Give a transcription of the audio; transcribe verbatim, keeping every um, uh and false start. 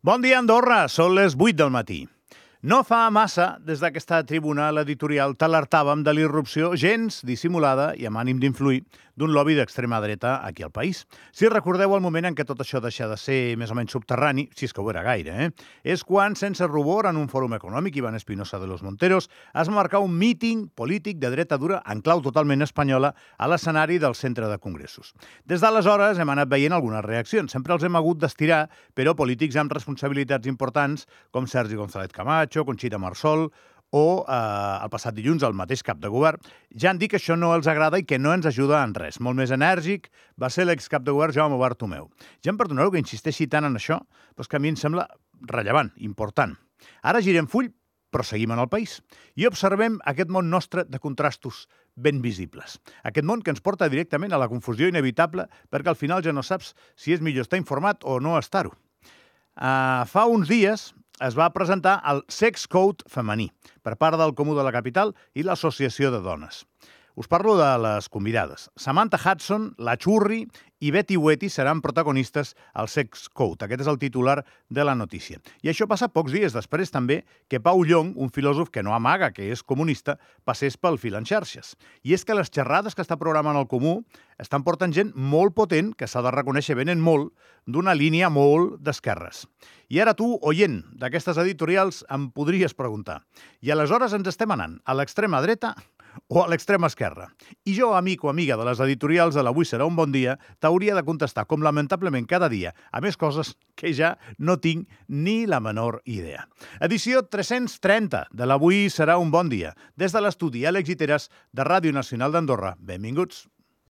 Bon dia, Andorra! Són les vuit del matí. No fa massa, des d'aquesta tribuna, l'editorial t'alertàvem de l'irrupció gens dissimulada i amb ànim d'influir d'un lobby d'extrema dreta aquí al país. Si recordeu el moment en què tot això deixa de ser més o menys subterrani, si és que ho era gaire, eh? és quan, sense rubor, en un fòrum econòmic, Iván Espinosa de los Monteros es marcà un míting polític de dreta dura en clau totalment espanyola a l'escenari del centre de congressos. Des d'aleshores hem anat veient algunes reaccions. Sempre els hem hagut d'estirar, però polítics amb responsabilitats importants, com Sergi González Camacho, Conxita Marsol o eh, el passat dilluns el mateix cap de govern, ja han dit que això no els agrada i que no ens ajuda en res. Molt més enèrgic va ser l'excap de govern Jaume Bartomeu. Ja em perdonareu que insisteixi tant en això, però és que a mi em sembla rellevant, important. Ara girem full, però seguim en el país. I observem aquest món nostre de contrastos ben visibles. Aquest món que ens porta directament a la confusió inevitable perquè al final ja no saps si és millor estar informat o no estar-ho. Uh, fa uns dies es va presentar el Sex Code femení per part del Comú de la Capital i l'Associació de Dones. Us parlo de les convidades. Samantha Hudson, La Churri i Betty Huety seran protagonistes al Sex Code. Aquest és el titular de la notícia. I això passa pocs dies després també que Pau Llong, un filòsof que no amaga que és comunista, passés pel fil en xarxes. I és que les xerrades que està programant el Comú estan portant gent molt potent, que s'ha de reconèixer venen molt, d'una línia molt d'esquerres. I ara tu, oient d'aquestes editorials, em podries preguntar: i aleshores ens estem anant a l'extrema dreta o a l'extrema esquerra? I jo, amic o amiga de les editorials de l'Avui serà un bon dia, t'hauria de contestar, com lamentablement cada dia, a més coses que ja no tinc ni la menor idea. Edició tres-cents trenta de l'Avui serà un bon dia. Des de l'estudi Àlex Giteras de Ràdio Nacional d'Andorra. Benvinguts.